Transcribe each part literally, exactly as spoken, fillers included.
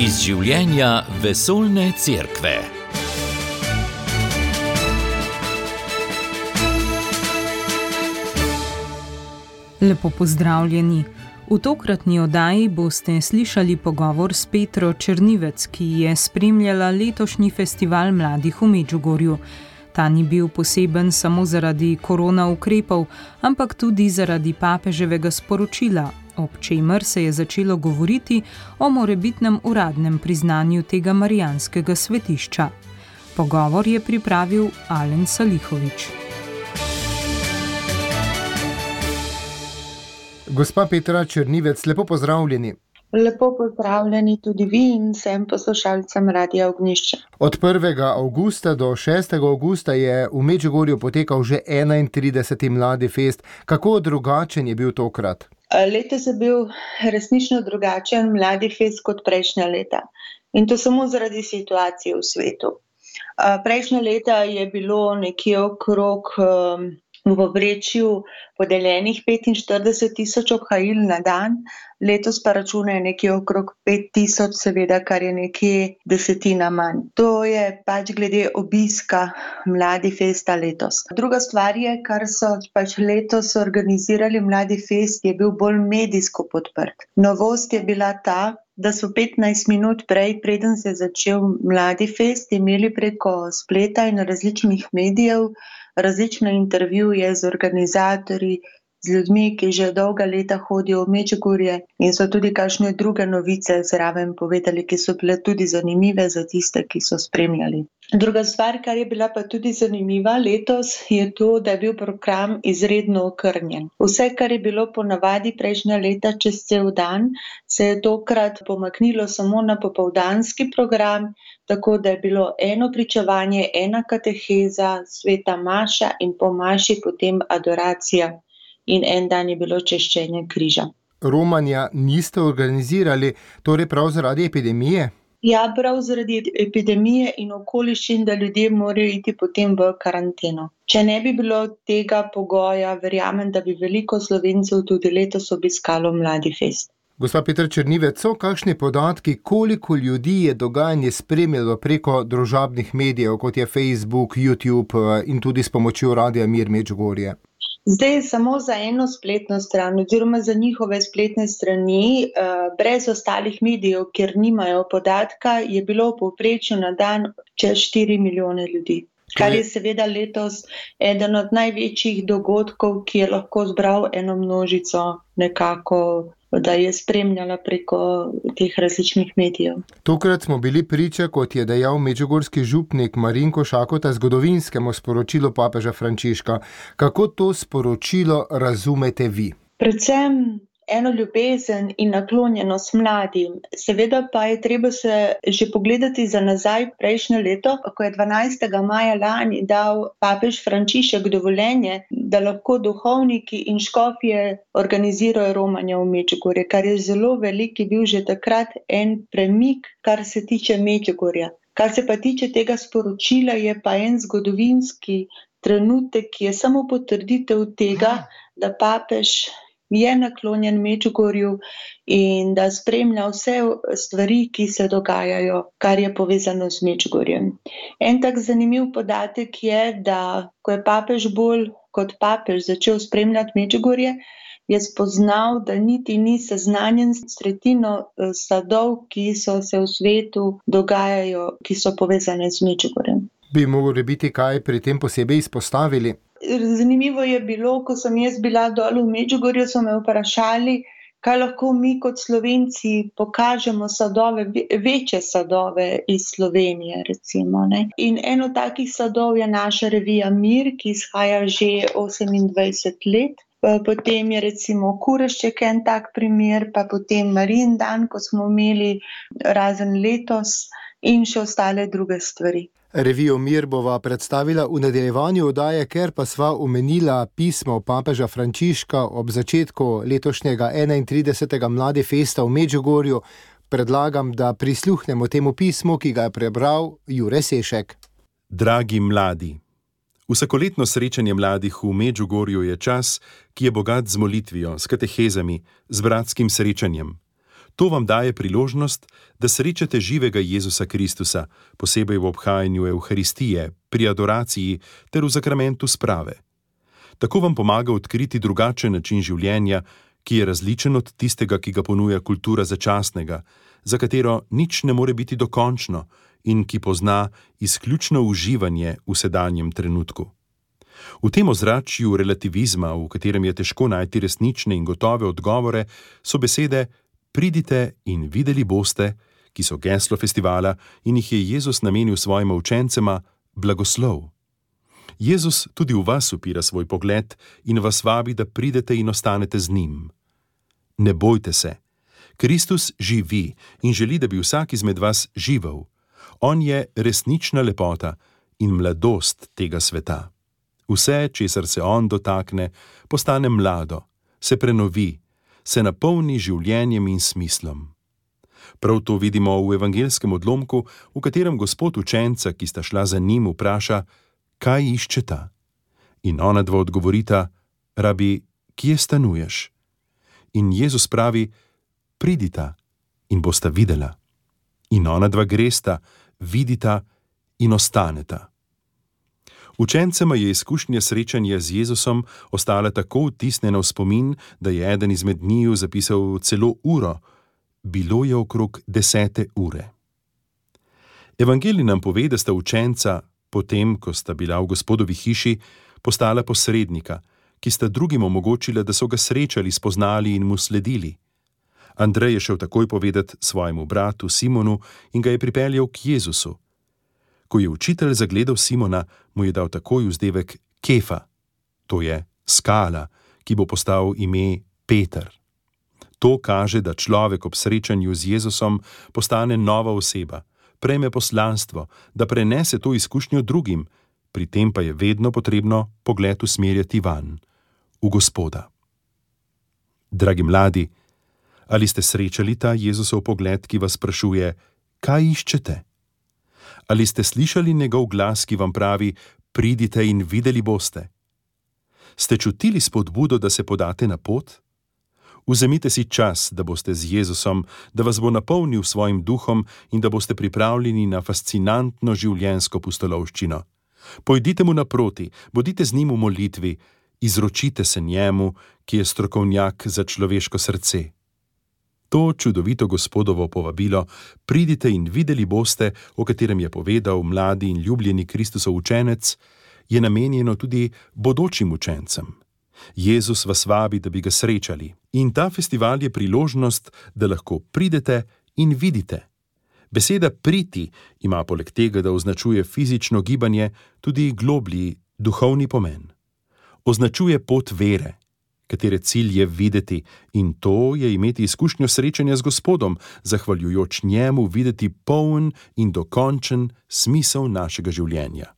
Iz življenja vesoljne cerkve. Lepo pozdravljeni. V tokratni oddaji boste slišali pogovor s Petro Černivec, ki je spremljala letošnji festival mladih v Medžugorju. Ta ni bil poseben samo zaradi korona ukrepov, ampak tudi zaradi papeževega sporočila, ob čemer se je začelo govoriti o morebitnem uradnem priznanju tega marijanskega svetišča. Pogovor je pripravil Alen Salihovič. Gospa Petra Černivec, lepo pozdravljeni. Lepo pozdravljeni tudi vi in vsem poslušalcem Radia Ognjišče. Od prvega avgusta do šestega avgusta je v Medžugorju potekal že enaintrideseti Mladi fest. Kako drugačen je bil tokrat? Letos je bil resnično drugačen Mladi fest kot prejšnja leta. In to samo zaradi situacije v svetu. Prejšnja leta je bilo nekje okrog v povprečju podeljenih petinštirideset tisoč obhajil na dan, letos pa računajo nekje okrog pet tisoč, seveda, kar je nekje desetina manj. To je pač glede obiska Mladi festa letos. Druga stvar je, kar so pač letos organizirali Mladi fest, je bil bolj medijsko podprt. Novost je bila ta, da so petnajst minut prej, preden se je začel Mladi fest, imeli preko spleta in različnih medijev različne intervjuje z organizatorji, z ljudmi, ki že dolga leta hodijo v Medžugorje in so tudi kakšne druge novice zraven povedali, ki so bile tudi zanimive za tiste, ki so spremljali. Druga stvar, kar je bila pa tudi zanimiva letos, je to, da je bil program izredno okrnjen. Vse, kar je bilo ponavadi prejšnja leta čez cel dan, se je tokrat pomaknilo samo na popoldanski program, tako da je bilo eno pričevanje, ena kateheza, sveta maša in po maši potem adoracija in en dan je bilo češčenje križa. Romanja niste organizirali, torej prav zaradi epidemije? Ja, prav zaradi epidemije in okoliščin, da ljudje morajo iti potem v karanteno. Če ne bi bilo tega pogoja, verjamem, da bi veliko Slovencev tudi letos obiskalo Mladi fest. Gospa Petra Černivec, so kakšni podatki, koliko ljudi je dogajanje spremljalo preko družabnih medijev, kot je Facebook, YouTube in tudi s pomočjo Radia Mir Medžugorje? Zdaj samo za eno spletno stran, oziroma za njihove spletne strani, brez ostalih medijev, kjer nimajo podatka, je bilo v povprečju na dan čez štiri milijone ljudi. Kar je seveda letos eden od največjih dogodkov, ki je lahko zbral eno množico nekako, da je spremljala preko teh različnih medijev. Tokrat smo bili priča, kot je dejal medžugorski župnik Marinko Šakota, zgodovinskemu sporočilu papeža Frančiška. Kako to sporočilo razumete vi? Predvsem eno ljubezen in naklonjenost mladim. Seveda pa je treba se že pogledati za nazaj prejšnje leto, ko je dvanajstega maja lani dal papež Frančišek dovoljenje, da lahko duhovniki in škofje organizirajo romanje v Medžugorje, kar je zelo velik, je bil že takrat en premik, kar se tiče Medžugorja. Kar se pa tiče tega sporočila, je pa en zgodovinski trenutek, ki je samo potrditev tega, da papež je naklonjen Medžugorju in da spremlja vse stvari, ki se dogajajo, kar je povezano z Medžugorjem. En tak zanimiv podatek je, da ko je papež bolj kot papež začel spremljati Medžugorje, je spoznal, da niti ni seznanjen s tretjino sadov, ki so se v svetu dogajajo, ki so povezane z Medžugorjem. Bi mogli biti kaj pri tem posebej izpostavili? Zanimivo je bilo, ko sem jaz bila dol v Medžugorju, so me vprašali, kaj lahko mi kot Slovenci pokažemo sadove, večje sadove iz Slovenije, recimo. Ne? In eno takih sadov je naša revija Mir, ki izhaja že osemindvajset let. Potem je recimo Kurešček en tak primer, pa potem Marijin dan, ko smo imeli razen letos in še ostale druge stvari. Revijo Mir bova predstavila v nadaljevanju oddaje, ker pa sva omenila pismo papeža Frančiška ob začetku letošnjega enaintridesetega Mladi festa v Medžugorju. Predlagam, da prisluhnemo temu pismu, ki ga je prebral Jure Sešek. Dragi mladi, vsakoletno srečanje mladih v Medžugorju je čas, ki je bogat z molitvijo, s katehezami, z bratskim srečanjem. To vam daje priložnost, da srečate živega Jezusa Kristusa, posebej v obhajanju Evharistije, pri adoraciji ter v zakramentu sprave. Tako vam pomaga odkriti drugačen način življenja, ki je različen od tistega, ki ga ponuja kultura začasnega, za katero nič ne more biti dokončno in ki pozna izključno uživanje v sedanjem trenutku. V tem ozračju relativizma, v katerem je težko najti resnične in gotove odgovore, so besede pridite in videli boste, ki so geslo festivala in jih je Jezus namenil svojima učencema, blagoslov. Jezus tudi v vas upira svoj pogled in vas vabi, da pridete in ostanete z njim. Ne bojte se. Kristus živi in želi, da bi vsak izmed vas živel. On je resnična lepota in mladost tega sveta. Vse, česar se on dotakne, postane mlado, se prenovi, se napolni življenjem in smislom. Prav to vidimo v evangelskem odlomku, v katerem Gospod učenca, ki sta šla za njim, vpraša, kaj iščeta? In ona dva odgovorita, rabi, kje stanuješ? In Jezus pravi, pridita in bosta videla. In ona dva gresta, vidita in ostaneta. Učencema je izkušnja srečanja z Jezusom ostala tako vtisnjena v spomin, da je eden izmed njiju zapisal celo uro. Bilo je okrog desete ure. Evangelij nam pove, da sta učenca, potem, ko sta bila v Gospodovi hiši, postala posrednika, ki sta drugim omogočila, da so ga srečali, spoznali in mu sledili. Andrej je šel takoj povedati svojemu bratu Simonu in ga je pripeljal k Jezusu. Ko je učitelj zagledal Simona, mu je dal takoj vzdevek Kefa, to je skala, ki bo postal ime Peter. To kaže, da človek ob srečanju z Jezusom postane nova oseba, prejme poslanstvo, da prenese to izkušnjo drugim, pri tem pa je vedno potrebno pogled usmerjati van, v Gospoda. Dragi mladi, ali ste srečali ta Jezusov pogled, ki vas sprašuje, kaj iščete? Ali ste slišali njegov glas, ki vam pravi, pridite in videli boste? Ste čutili spodbudo, da se podate na pot? Vzemite si čas, da boste z Jezusom, da vas bo napolnil svojim duhom in da boste pripravljeni na fascinantno življenjsko pustolovščino. Pojdite mu naproti, bodite z njim v molitvi, izročite se njemu, ki je strokovnjak za človeško srce. To čudovito Gospodovo povabilo, pridite in videli boste, o katerem je povedal mladi in ljubljeni Kristusov učenec, je namenjeno tudi bodočim učencem. Jezus vas vabi, da bi ga srečali, in ta festival je priložnost, da lahko pridete in vidite. Beseda priti ima poleg tega, da označuje fizično gibanje, tudi globlji duhovni pomen. Označuje pot vere, katere cilj je videti, in to je imeti izkušnjo srečanja z Gospodom, zahvaljujoč njemu videti poln in dokončen smisel našega življenja.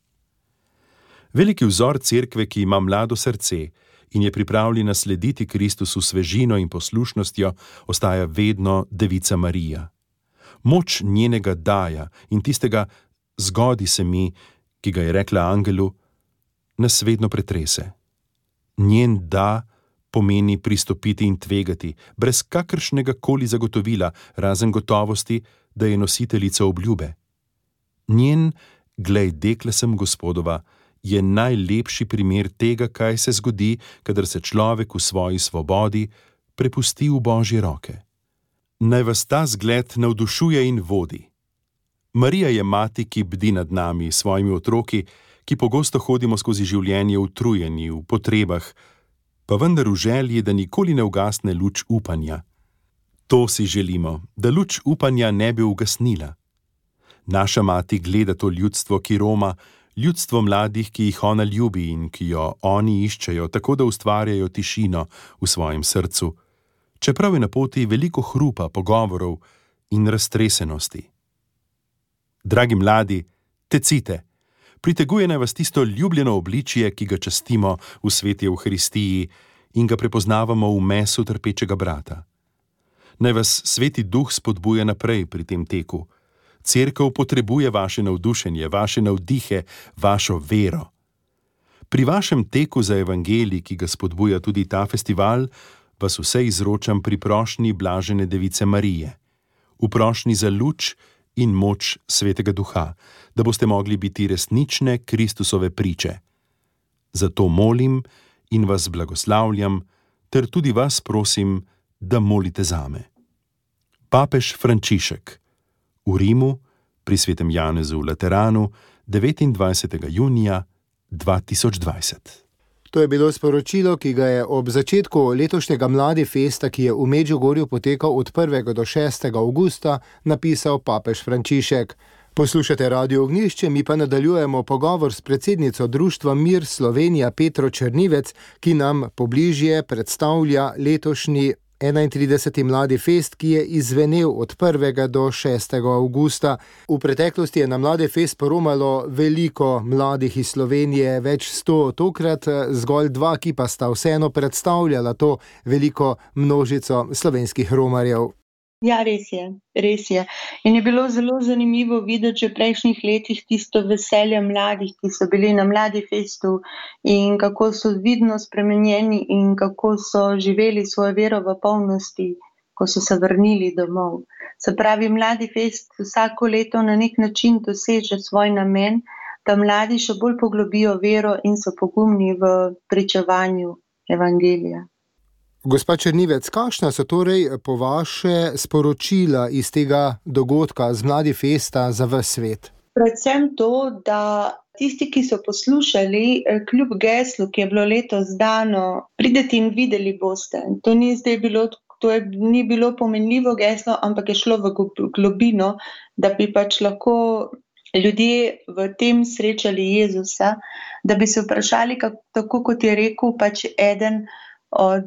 Veliki vzor cerkve, ki ima mlado srce in je pripravljena slediti Kristusu svežino in poslušnostjo, ostaja vedno Devica Marija. Moč njenega daja in tistega zgodi se mi, ki ga je rekla angelu, nas vedno pretrese. Njen da pomeni pristopiti in tvegati, brez kakršnega koli zagotovila, razen gotovosti, da je nositeljica obljube. Njen, glej, dekle sem Gospodova, je najlepši primer tega, kaj se zgodi, kadar se človek v svoji svobodi prepusti v Božje roke. Naj vas ta zgled navdušuje in vodi. Marija je mati, ki bdi nad nami, svojimi otroki, ki pogosto hodimo skozi življenje utrujeni, v potrebah, pa vendar v želji, da nikoli ne ugasne luč upanja. To si želimo, da luč upanja ne bi ugasnila. Naša mati gleda to ljudstvo, ki roma, ljudstvo mladih, ki jih ona ljubi in ki jo oni iščejo, tako da ustvarjajo tišino v svojem srcu, čeprav je na poti veliko hrupa, pogovorov in raztresenosti. Dragi mladi, tecite, priteguje naj vas tisto ljubljeno obličje, ki ga častimo v sveti Evharistiji in ga prepoznavamo v mesu trpečega brata. Naj vas sveti duh spodbuja naprej pri tem teku. Cerkev potrebuje vaše navdušenje, vaše navdihe, vašo vero. Pri vašem teku za evangelij, ki ga spodbuja tudi ta festival, vas vse izročam pri prošnji blažene device Marije, v prošnji za luč in moč Svetega Duha, da boste mogli biti resnične Kristusove priče. Zato molim in vas blagoslavljam, ter tudi vas prosim, da molite zame. Papež Frančišek v Rimu pri svetem Janezu v Lateranu devetindvajsetega junija dva tisoč dvajset. To je bilo sporočilo, ki ga je ob začetku letošnjega Mladi festa, ki je v Medžugorju potekal od prvega do šestega avgusta, napisal papež Frančišek. Poslušate Radio Ognjišče, mi pa nadaljujemo pogovor s predsednico Društva Mir Slovenija Petro Črnivec, ki nam pobližje predstavlja letošnji enaintrideseti Mladi fest, ki je izzvenel od prvega do šestega avgusta. V preteklosti je na Mladi fest poromalo veliko mladih iz Slovenije, več sto, tokrat zgolj dva, ki pa sta vseeno predstavljala to veliko množico slovenskih romarjev. Ja, res je, res je. In je bilo zelo zanimivo videti že v prejšnjih letih tisto veselje mladih, ki so bili na Mladi festu in kako so vidno spremenjeni in kako so živeli svojo vero v polnosti, ko so se vrnili domov. Se pravi, Mladi fest vsako leto na nek način doseže svoj namen, da mladi še bolj poglobijo vero in so pogumni v pričevanju evangelija. Gospa Črnivec, kakšna so torej po vaše sporočila iz tega dogodka z Mladi festa za ves svet? Predvsem to, da tisti, ki so poslušali, kljub geslu, ki je bilo letos dano, pridete in videli boste. To ni zdaj bilo, to je, ni bilo pomenljivo geslo, ampak je šlo v globino, da bi pač lahko ljudje v tem srečali Jezusa, da bi se vprašali, kako, tako kot je rekel pač eden od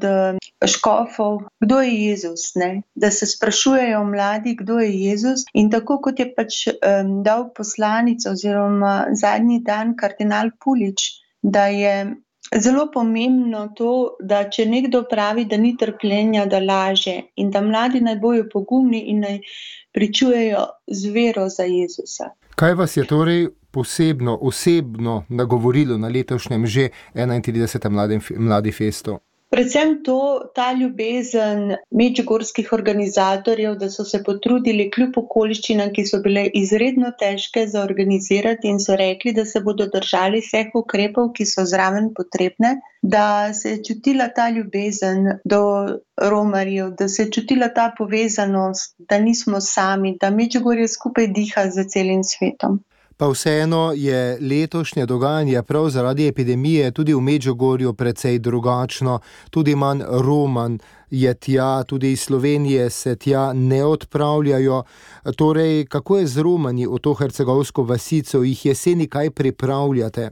škofov, kdo je Jezus, ne? Da se sprašujejo mladi, kdo je Jezus, in tako kot je pač um, dal poslanico oziroma zadnji dan kardinal Pulič, da je zelo pomembno to, da če nekdo pravi, da ni trpljenja, da laže in da mladi naj bojo pogumni in naj pričujejo z vero za Jezusa. Kaj vas je torej posebno, osebno nagovorilo na letošnjem že enaintridesetem Mladi festu? Predvsem to, ta ljubezen medžugorskih organizatorjev, da so se potrudili kljub okoliščinam, ki so bile izredno težke za organizirati in so rekli, da se bodo držali vseh ukrepov, ki so zraven potrebne, da se je čutila ta ljubezen do romarjev, da se je čutila ta povezanost, da nismo sami, da Medžugorje skupaj diha za celim svetom. Pa vseeno je letošnje dogajanje prav zaradi epidemije tudi v Medžugorju precej drugačno, tudi manj Roman je tja, tudi iz Slovenije se tja ne odpravljajo. Torej, kako je z Romani v to hercegovsko vasico, jih jeseni kaj pripravljate?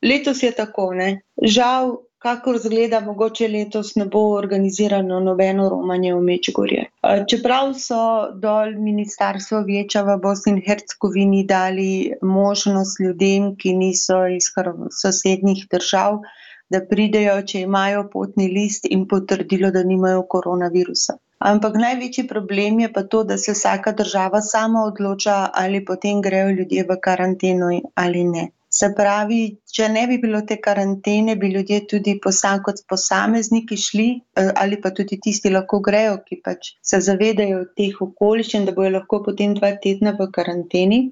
Letos je tako, ne. Žal, kakor zgleda, mogoče letos ne bo organizirano nobeno romanje v Medžugorje. Čeprav so dol ministarstvo Vijeća v Bosni in Hercegovini dali možnost ljudem, ki niso iz sosednjih držav, da pridejo, če imajo potni list in potrdilo, da nimajo koronavirusa. Ampak največji problem je pa to, da se vsaka država sama odloča, ali potem grejo ljudje v karanteno ali ne. Se pravi, če ne bi bilo te karantene, bi ljudje tudi posam kot posamezniki šli, ali pa tudi tisti lahko grejo, ki pač se zavedajo teh okoliščin, da bojo lahko potem dva tedna v karanteni.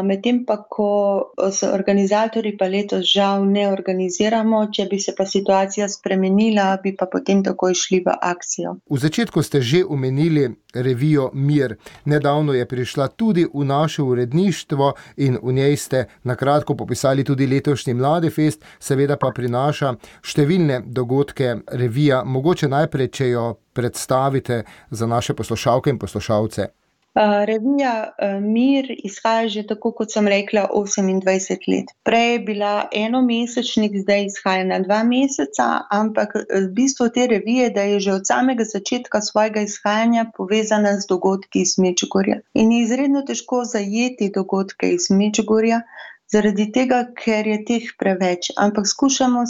Medtem pa, ko se organizatorji pa letos žal ne organiziramo, če bi se pa situacija spremenila, bi pa potem takoj šli v akcijo. V začetku ste že omenili revijo Mir. Nedavno je prišla tudi v naše uredništvo in v njej ste na kratko popisali tudi letošnji Mladi fest, seveda pa prinaša številne dogodke revija. Mogoče najprej, če jo predstavite za naše poslušalke in poslušalce. Uh, revija uh, Mir izhaja že tako, kot sem rekla, osemindvajset let. Prej je bila enomesečnik, zdaj izhaja na dva meseca, ampak v bistvu te revije, da je že od samega začetka svojega izhajanja povezana z dogodki iz Medžugorja. In je izredno težko zajeti dogodke iz Medžugorja, zaradi tega, ker je teh preveč. Ampak skušamo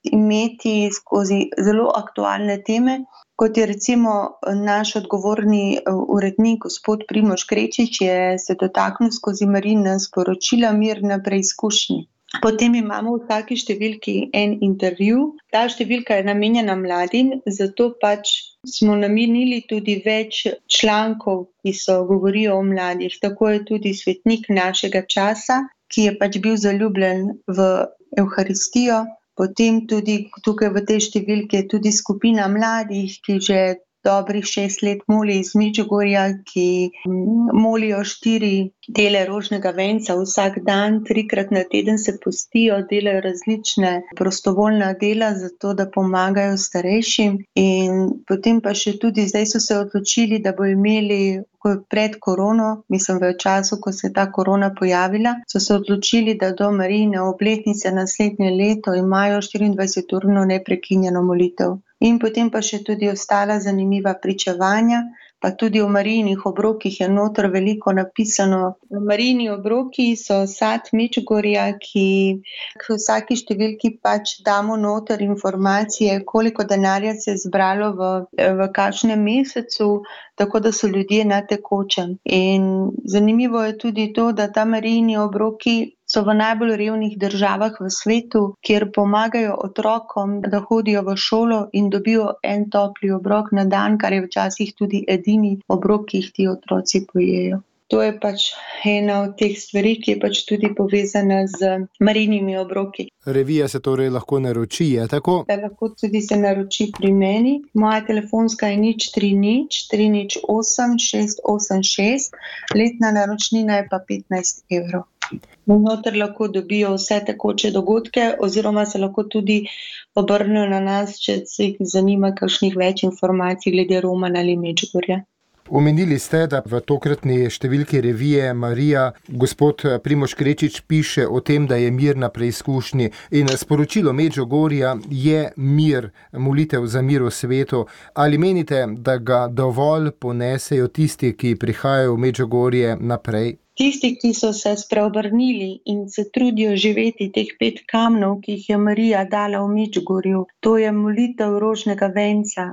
imeti skozi zelo aktualne teme, kot je recimo naš odgovorni urednik, gospod Primož Krečič, je se dotaknil skozi Marina sporočila Mir na preizkušnji. Potem imamo v vsaki številki en intervju. Ta številka je namenjena mladim, zato pač smo namenili tudi več člankov, ki so govorijo o mladih. Tako je tudi svetnik našega časa, ki je pač bil zaljubljen v Evharistijo. Potem tudi tukaj v tej številki je tudi skupina mladih, ki že dobrih šest let moli iz Medžugorja, ki molijo štiri dele rožnega venca vsak dan, trikrat na teden se postijo, delajo različne prostovoljna dela, zato da pomagajo starejšim. In potem pa še tudi zdaj so se odločili, da bo imeli pred korono, mislim v času, ko se je ta korona pojavila, so se odločili, da do Marijine obletnice naslednje leto imajo štiriindvajseturno neprekinjeno molitev. In potem pa še tudi ostala zanimiva pričevanja, pa tudi o Marijinih obrokih je noter veliko napisano. Marijini obroki so sad Medžugorja, ki v vsaki številki pač damo noter informacije, koliko denarja se je zbralo v, v kakšnem mesecu, tako da so ljudje na tekočem. In zanimivo je tudi to, da ta Marijini obroki so v najbolj revnih državah v svetu, kjer pomagajo otrokom, da hodijo v šolo in dobijo en topli obrok na dan, kar je včasih tudi edini obrok, ki jih ti otroci pojejo. To je pač ena od teh stvari, ki je pač tudi povezana z Marijinimi obroki. Revija se torej lahko naroči, je tako? Da, lahko tudi se naroči pri meni. Moja telefonska je nič tri nič tri nič osem šest osem šest, letna naročnina je pa petnajst evrov. Noter lahko dobijo vse tekoče dogodke oziroma se lahko tudi obrnejo na nas, če se jih zanima kakšnih več informacij glede Romana ali Medžugorja. Omenili ste, da v tokratni številki revije Marija gospod Primož Krečič piše o tem, da je mir na preizkušnji in sporočilo Medžugorja je mir, molitev za mir v svetu. Ali menite, da ga dovolj ponesejo tisti, ki prihajajo v Medžugorje naprej? Tisti, ki so se spreobrnili in se trudijo živeti teh pet kamnov, ki jih je Marija dala v Medžugorju, to je molitev rožnega venca,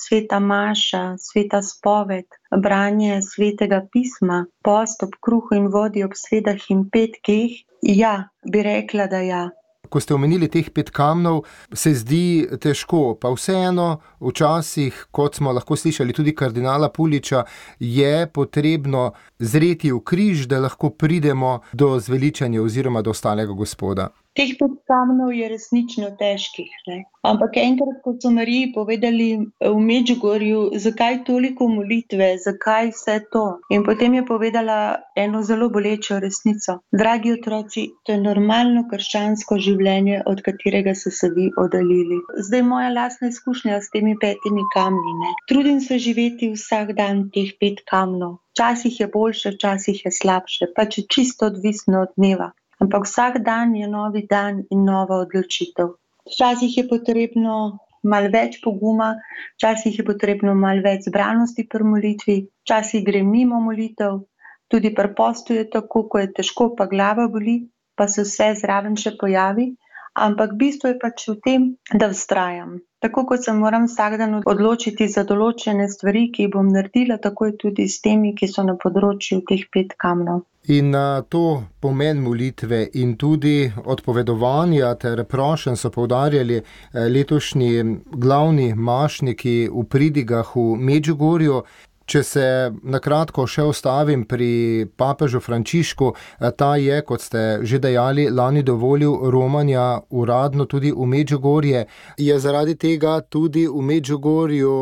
sveta maša, sveta spoved, branje svetega pisma, post ob kruhu in vodi ob sredah in petkih, ja, bi rekla, da ja. Ko ste omenili teh pet kamnov, se zdi težko, pa vseeno včasih, kot smo lahko slišali tudi kardinala Puliča, je potrebno zreti v križ, da lahko pridemo do zveličanja oziroma do ostalega Gospoda. Teh pet kamnov je resnično težkih, ne? Ampak enkrat, ko so Mariji povedali v Medžugorju, zakaj toliko molitve, zakaj vse to. In potem je povedala eno zelo bolečo resnico. Dragi otroci, to je normalno krščansko življenje, od katerega so se vi oddaljili. Zdaj moja lastna izkušnja s temi petimi kamni, ne? Trudim se živeti vsak dan teh pet kamnov. Včasih je boljše, včasih je slabše, pač je čisto odvisno od dneva. Ampak vsak dan je novi dan in nova odločitev. Včasih je potrebno malo več poguma, včasih je potrebno malo več zbranosti pri molitvi, včasih gre mimo molitev, tudi pri postu je tako, ko je težko, pa glava boli, pa se vse zraven še pojavi, ampak bistvo je pač v tem, da vztrajam. Tako kot se moram vsak dan odločiti za določene stvari, ki jih bom naredila, tako je tudi s temi, ki so na področju teh pet kamnov. In na to pomen molitve in tudi odpovedovanja ter prošenj so poudarjali letošnji glavni mašniki v pridigah v Medžugorju. Če se nakratko še ostavim pri papežu Frančišku, ta je, kot ste že dejali, lani dovolil romanja uradno tudi v Medžugorje. Je zaradi tega tudi v Medžugorju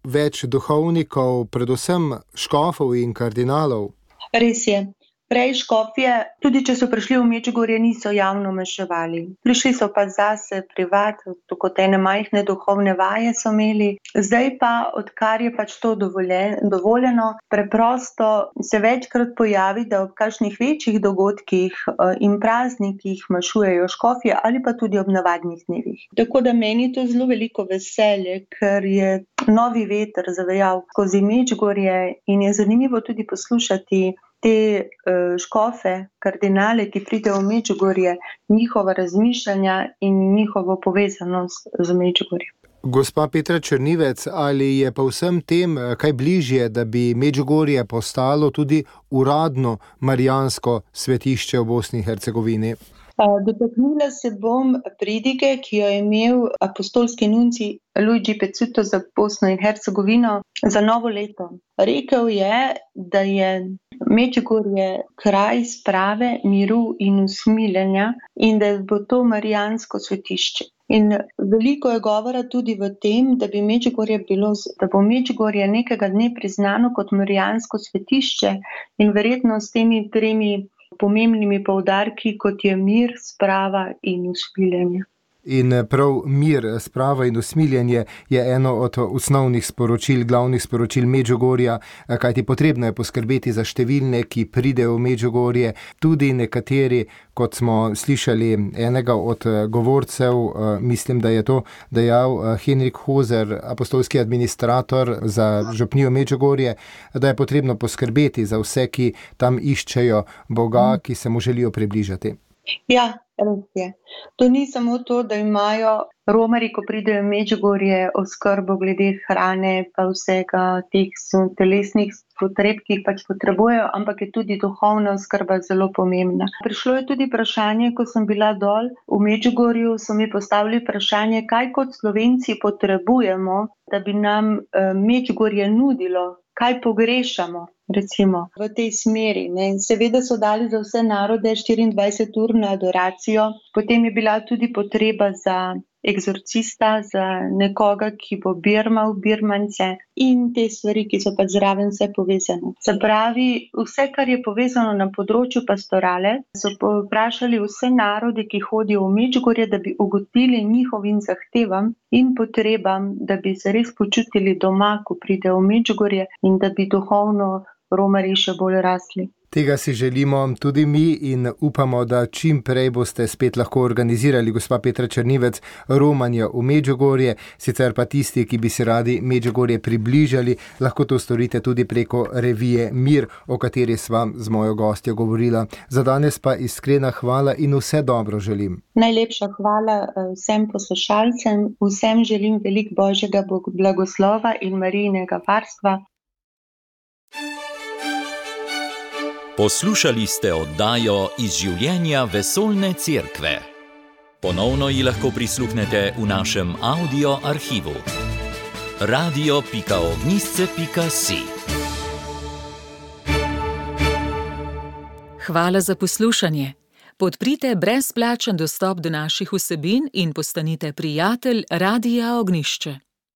več duhovnikov, predvsem škofov in kardinalov? Res je. Prej škofje, tudi če so prišli v Medžugorje, niso javno maševali. Prišli so pa zase privat, kot ene majhne duhovne vaje so imeli. Zdaj pa, odkar je pač to dovoljeno, preprosto se večkrat pojavi, da ob kakšnih večjih dogodkih in praznikih mašujejo škofje ali pa tudi ob navadnih dnevih. Tako da meni to zelo veliko veselje, ker je novi veter zavejal skozi Medžugorje in je zanimivo tudi poslušati te uh, škofe, kardinale, ki pridejo v Medžugorje, njihova razmišljanja in njihovo povezanost z Medžugorjem. Gospa Petra Črnivec, ali je pa vsem tem kaj bližje, da bi Medžugorje postalo tudi uradno marijansko svetišče v Bosni in Hercegovini? Dotaknila se bom pridige, ki jo je imel apostolski nuncij Luigi Pezzuto za Bosno in Hercegovino za novo leto. Rekel je, da je Medžugorje kraj sprave, miru in usmiljenja in da bo to marijansko svetišče. In veliko je govora tudi v tem, da bi Medžugorje bilo, da bo Medžugorje nekega dne priznano kot marijansko svetišče in verjetno s temi tremi pomembnimi poudarki, kot je mir, sprava in usmiljenje. In prav mir, sprava in usmiljenje je eno od osnovnih sporočil, glavnih sporočil Medžugorja, kajti potrebno je poskrbeti za številne, ki pridejo v Medžugorje, tudi nekateri, kot smo slišali enega od govorcev, mislim, da je to dejal Henrik Hozer, apostolski administrator za župnijo Medžugorje, da je potrebno poskrbeti za vse, ki tam iščejo Boga, ki se mu želijo približati. Ja, res je. To ni samo to, da imajo romarji, ko pridejo v Medžugorje, oskrbo glede hrane pa vsega teh telesnih potreb, ki jih pač potrebujejo, ampak je tudi duhovna oskrba zelo pomembna. Prišlo je tudi vprašanje, ko sem bila dol v Medžugorju, so mi postavili vprašanje, kaj kot Slovenci potrebujemo, da bi nam Medžugorje nudilo, kaj pogrešamo. Recimo v tej smeri. Ne. Seveda so dali za vse narode štiriindvajseturno adoracijo, potem je bila tudi potreba za egzorcista, za nekoga, ki bo birmal birmance in te stvari, ki so pa zraven vse povezane. Se pravi, vse, kar je povezano na področju pastorale, so vprašali vse narode, ki hodijo v Medžugorje, da bi ugodili njihovim zahtevam in potrebam, da bi se res počutili doma, ko pridejo v Medžugorje in da bi duhovno romarji še bolj rasli. Tega si želimo tudi mi in upamo, da čim prej boste spet lahko organizirali, gospa Petra Črnivec, romanje v Medžugorje, sicer pa tisti, ki bi si radi Medžugorje približali, lahko to storite tudi preko revije Mir, o kateri sva z mojo gostjo govorila. Za danes pa iskrena hvala in vse dobro želim. Najlepša hvala vsem poslušalcem, vsem želim veliko Božjega blagoslova in Marijinega varstva. Poslušali ste oddajo Iz življenja vesoljne cerkve. Ponovno ji lahko prisluhnete v našem audio arhivu. radio pika ognjišče pika si. Hvala za poslušanje. Podprite brezplačen dostop do naših vsebin in postanite prijatelj Radia Ognjišče.